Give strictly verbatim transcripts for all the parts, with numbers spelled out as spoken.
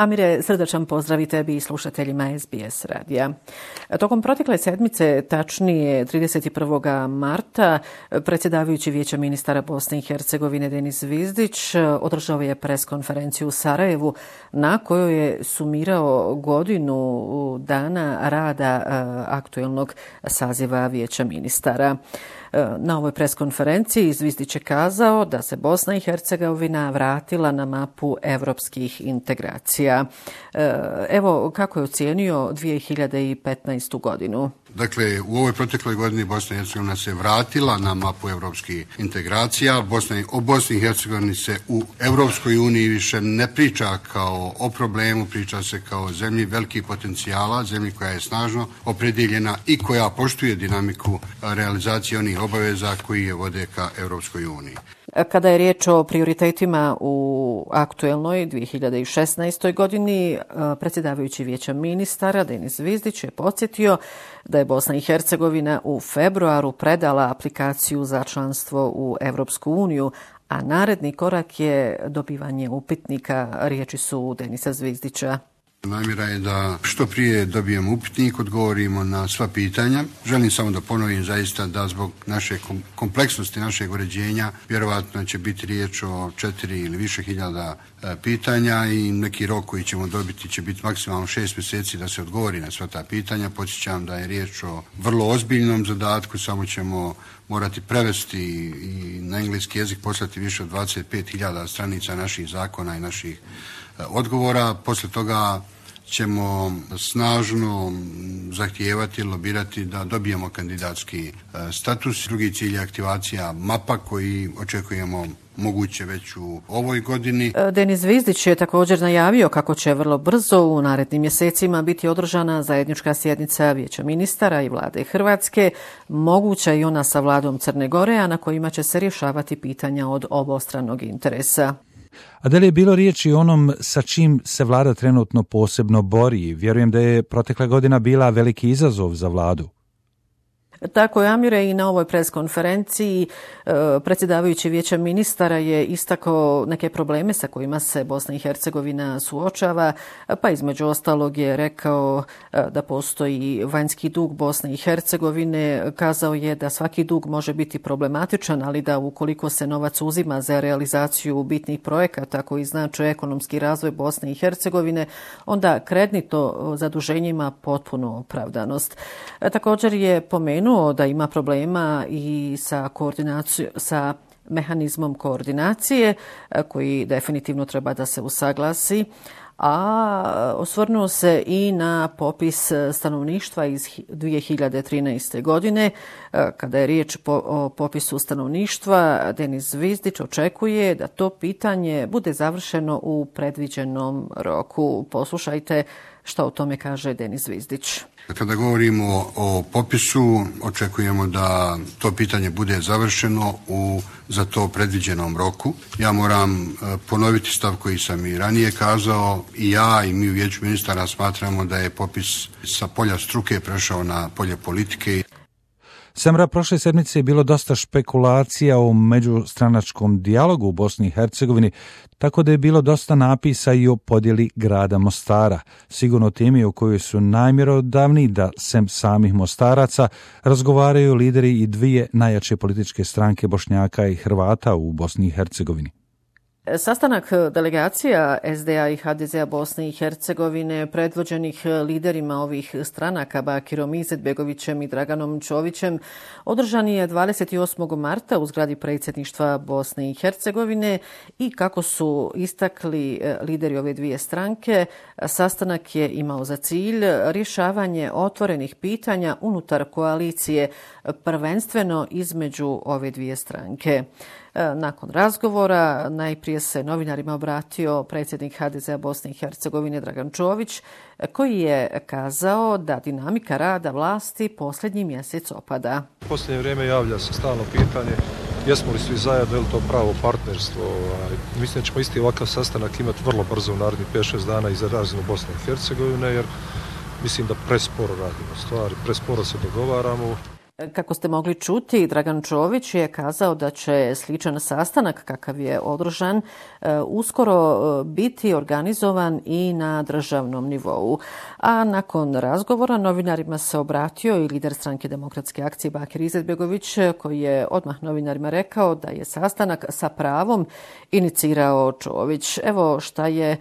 Amire, srdačan pozdrav i tebi i slušateljima S B S radija. Tokom protekle sedmice, tačnije trideset prvog marta, predsjedavajući Vijeća ministara Bosne i Hercegovine Denis Zvizdić održao je preskonferenciju u Sarajevu na kojoj je sumirao godinu dana rada aktuelnog saziva Vijeća ministara. Na ovoj preskonferenciji Zvizdić je kazao da se Bosna i Hercegovina vratila na mapu evropskih integracija. Evo kako je ocijenio dvije hiljade petnaestu. godinu. Dakle, u ovoj protekloj godini Bosna i Hercegovina se vratila na mapu evropskih integracija. Bosna, o Bosni i Hercegovini se u Evropskoj uniji više ne priča kao o problemu, priča se kao o zemlji velikih potencijala, zemlji koja je snažno opredjeljena i koja poštuje dinamiku realizacije onih obaveza koji je vode ka Evropskoj uniji. Kada je riječ o prioritetima u aktuelnoj dvije hiljade šesnaestoj. godini, predsjedavajući Vijeća ministara Denis Zvizdić je podsjetio da je Bosna i Hercegovina u februaru predala aplikaciju za članstvo u Evropsku uniju, a naredni korak je dobivanje upitnika. Riječi su Denisa Zvizdića. Namjera je da što prije dobijemo upitnik, odgovorimo na sva pitanja. Želim samo da ponovim zaista da zbog naše kompleksnosti našeg uređenja vjerovatno će biti riječ o četiri ili više hiljada pitanja i neki rok koji ćemo dobiti će biti maksimalno šest mjeseci da se odgovori na sva ta pitanja. Podsjećam da je riječ o vrlo ozbiljnom zadatku, samo ćemo morati prevesti i na engleski jezik poslati više od dvadeset pet hiljada stranica naših zakona i naših odgovora. Poslije toga ćemo snažno zahtijevati, lobirati da dobijemo kandidatski status. Drugi cilj je aktivacija mapa koji očekujemo moguće već u ovoj godini. Denis Zvizdić je također najavio kako će vrlo brzo u narednim mjesecima biti održana zajednička sjednica Vijeća ministara i vlade Hrvatske, moguća i ona sa vladom Crne Gore, a na kojima će se rješavati pitanja od obostranog interesa. A da li je bilo riječi o onom sa čim se vlada trenutno posebno bori? Vjerujem da je protekla godina bila veliki izazov za vladu. Tako je, Amire, i na ovoj preskonferenciji predsjedavajući Vijeća ministara je istakao neke probleme sa kojima se Bosna i Hercegovina suočava, pa između ostalog je rekao da postoji vanjski dug Bosne i Hercegovine. Kazao je da svaki dug može biti problematičan, ali da ukoliko se novac uzima za realizaciju bitnih projekata koji znače ekonomski razvoj Bosne i Hercegovine, onda kreditno zaduženje ima potpunu opravdanost. Također je pomenuo da ima problema i sa koordinacijom, sa mehanizmom koordinacije koji definitivno treba da se usaglasi, a osvrnuo se i na popis stanovništva iz dvije hiljade trinaeste. godine. Kada je riječ o popisu stanovništva, Denis Zvizdić očekuje da to pitanje bude završeno u predviđenom roku. Poslušajte što o tome kaže Denis Zvizdić. Kada govorimo o popisu, očekujemo da to pitanje bude završeno u za to predviđenom roku. Ja moram ponoviti stav koji sam i ranije kazao. I ja i mi u Vijeću ministara smatramo da je popis sa polja struke prešao na polje politike. Samra, prošle sedmice je bilo dosta špekulacija o međustranačkom dijalogu u Bosni i Hercegovini, tako da je bilo dosta napisa i o podjeli grada Mostara. Sigurno temi o kojoj su najmjerodavniji da sem samih Mostaraca razgovaraju lideri i dvije najjače političke stranke Bošnjaka i Hrvata u Bosni i Hercegovini. Sastanak delegacija S D A i H D Z-a Bosne i Hercegovine predvođenih liderima ovih stranaka Bakirom Izetbegovićem i Draganom Čovićem održan je dvadeset osmog marta u zgradi predsjedništva Bosne i Hercegovine i kako su istakli lideri ove dvije stranke, sastanak je imao za cilj rješavanje otvorenih pitanja unutar koalicije, prvenstveno između ove dvije stranke. Nakon razgovora najprije se novinarima obratio predsjednik H D Z-a Bosne i Hercegovine Dragan Čović, koji je kazao da dinamika rada vlasti posljednji mjesec opada. U posljednje vrijeme javlja se stalno pitanje jesmo li svi zajedno, je li to pravo partnerstvo. Mislim da ćemo isti ovakav sastanak imati vrlo brzo u narednih pet šest dana i za razinu Bosne i Hercegovine, jer mislim da presporo radimo stvari, presporo se dogovaramo. Kako ste mogli čuti, Dragan Čović je kazao da će sličan sastanak kakav je održan uskoro biti organizovan i na državnom nivou. A nakon razgovora novinarima se obratio i lider Stranke demokratske akcije Bakir Izetbegović, koji je odmah novinarima rekao da je sastanak sa pravom inicirao Čović. Evo šta je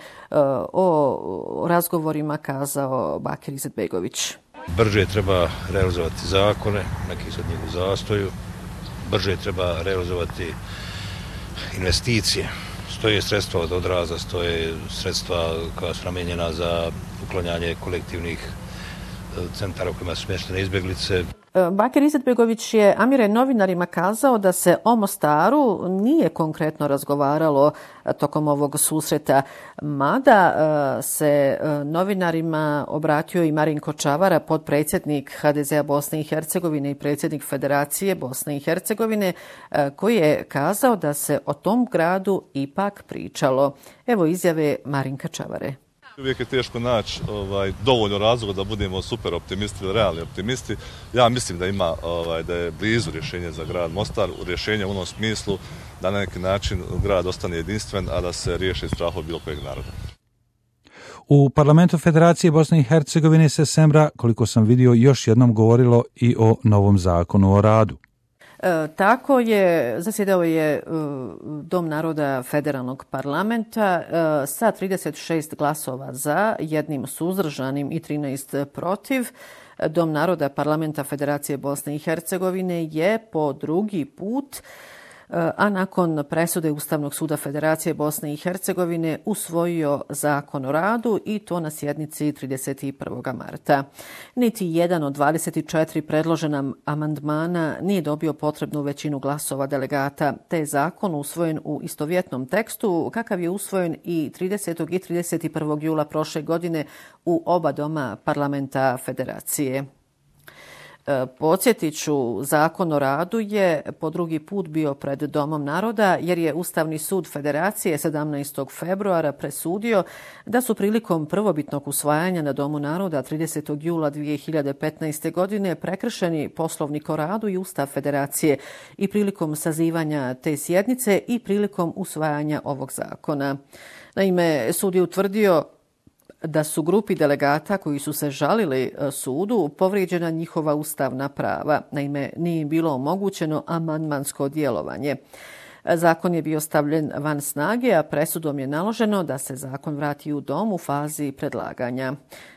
o razgovorima kazao Bakir Izetbegović. Brže treba realizovati zakone, neki su od njih u zastoju, brže treba realizovati investicije. Stoje sredstva od odraza, stoje sredstva koja su namijenjena za uklanjanje kolektivnih centara u kojima su smještene izbjeglice. Bakir Izetbegović je, Amire, novinarima kazao da se o Mostaru nije konkretno razgovaralo tokom ovog susreta, mada se novinarima obratio i Marinko Čavara, potpredsjednik ha de zea Bosne i Hercegovine i predsjednik Federacije Bosne i Hercegovine, koji je kazao da se o tom gradu ipak pričalo. Evo izjave Marinka Čavare. Uvijek je teško naći ovaj, dovoljno razloga da budemo super optimisti ili realni optimisti. Ja mislim da ima ovaj, da je blizu rješenje za grad Mostar, rješenje u onom smislu da na neki način grad ostane jedinstven, a da se riješi strahov bilo kojeg naroda. U Parlamentu Federacije Bosne i Hercegovine se sembra, koliko sam vidio, još jednom govorilo i o novom zakonu o radu. E, tako je, zasjedao je e, Dom naroda Federalnog parlamenta e, sa trideset šest glasova za, jednim suzdržanim i trinaest protiv. Dom naroda parlamenta Federacije Bosne i Hercegovine je po drugi put, a nakon presude Ustavnog suda Federacije Bosne i Hercegovine usvojio zakon o radu i to na sjednici trideset prvog marta. Niti jedan od dvadeset četiri predložena amandmana nije dobio potrebnu većinu glasova delegata, te je zakon usvojen u istovjetnom tekstu kakav je usvojen i tridesetog i trideset prvog jula prošle godine u oba doma parlamenta Federacije. Podsjetit ću, zakon o radu je po drugi put bio pred Domom naroda jer je Ustavni sud Federacije sedamnaestog februara presudio da su prilikom prvobitnog usvajanja na Domu naroda tridesetog jula dvije hiljade petnaeste. godine prekršeni Poslovnik o radu i Ustav Federacije i prilikom sazivanja te sjednice i prilikom usvajanja ovog zakona. Naime, sud je utvrdio da su grupi delegata koji su se žalili sudu povrijeđena njihova ustavna prava. Naime, nije im bilo omogućeno amandmansko djelovanje. Zakon je bio stavljen van snage, a presudom je naloženo da se zakon vrati u dom u fazi predlaganja.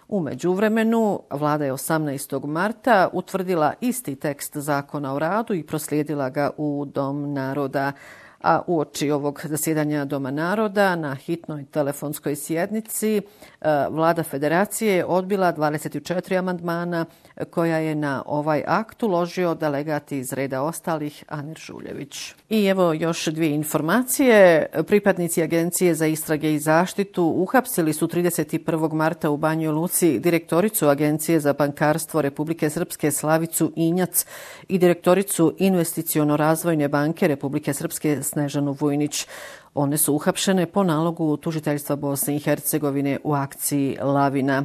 U međuvremenu, vlada je osamnaestog marta utvrdila isti tekst zakona o radu i proslijedila ga u Dom naroda. A uoči ovog zasjedanja Doma naroda na hitnoj telefonskoj sjednici vlada Federacije je odbila dvadeset četiri amandmana koja je na ovaj akt uložio delegat iz reda ostalih Anir Žuljević. I evo još dvije informacije. Pripadnici Agencije za istrage i zaštitu uhapsili su trideset prvog marta u Banjoj Luci direktoricu Agencije za bankarstvo Republike Srpske Slavicu Injac i direktoricu Investiciono-razvojne banke Republike Srpske Snežanu Vujnić. One su uhapšene po nalogu tužiteljstva Bosne i Hercegovine u akciji Lavina.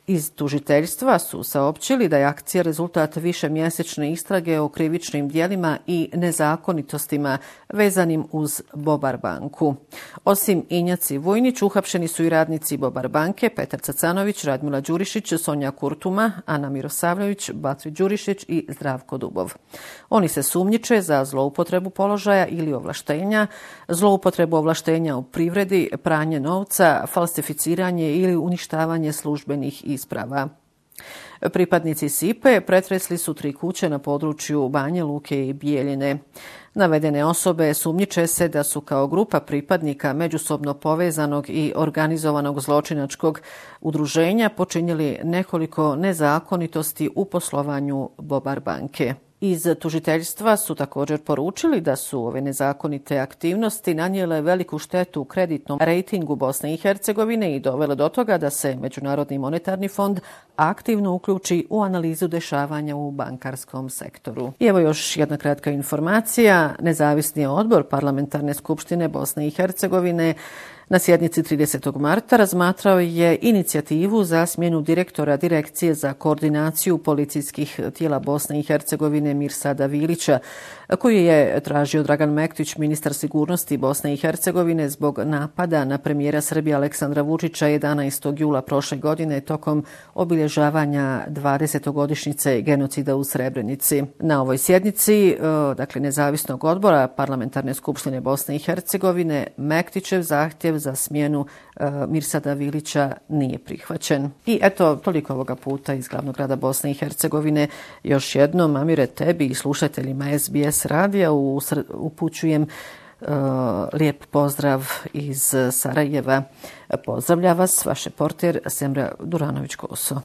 Iz tužiteljstva su saopćili da je akcija rezultat višemjesečne istrage o krivičnim djelima i nezakonitostima vezanim uz Bobar banku. Osim Injac i Vujnić, uhapšeni su i radnici Bobar banke, Petar Cacanović, Radmila Đurišić, Sonja Kurtuma, Ana Mirosavljević, Batri Đurišić i Zdravko Dubov. Oni se sumnjiče za zloupotrebu položaja ili ovlaštenja, zloupotrebu ovlaštenja u privredi, pranje novca, falsificiranje ili uništavanje službenih isprava. Pripadnici Sipe pretresli su tri kuće na području Banje Luke i Bijeljine. Navedene osobe sumnjiče se da su kao grupa pripadnika međusobno povezanog i organizovanog zločinačkog udruženja počinili nekoliko nezakonitosti u poslovanju Bobar banke. Iz tužiteljstva su također poručili da su ove nezakonite aktivnosti nanijele veliku štetu kreditnom rejtingu Bosne i Hercegovine i dovele do toga da se Međunarodni monetarni fond aktivno uključi u analizu dešavanja u bankarskom sektoru. I evo još jedna kratka informacija. Nezavisni odbor Parlamentarne skupštine Bosne i Hercegovine Na sjednici tridesetog marta razmatrao je inicijativu za smjenu direktora Direkcije za koordinaciju policijskih tijela Bosne i Hercegovine Mirsada Vilića, koji je tražio Dragan Mektić, ministar sigurnosti Bosne i Hercegovine, zbog napada na premijera Srbije Aleksandra Vučića jedanaestog jula prošle godine tokom obilježavanja dvadesetogodišnjice genocida u Srebrenici. Na ovoj sjednici, dakle nezavisnog odbora Parlamentarne skupštine Bosne i Hercegovine, Mektićev zahtjev za smjenu Mirsada Vilića nije prihvaćen. I eto, toliko ovoga puta iz glavnog grada Bosne i Hercegovine. Još jednom, Amire, tebi i slušateljima S B S radija upućujem uh, lijep pozdrav iz Sarajeva. Pozdravlja vas vaš reporter Semra Duranović-Koso.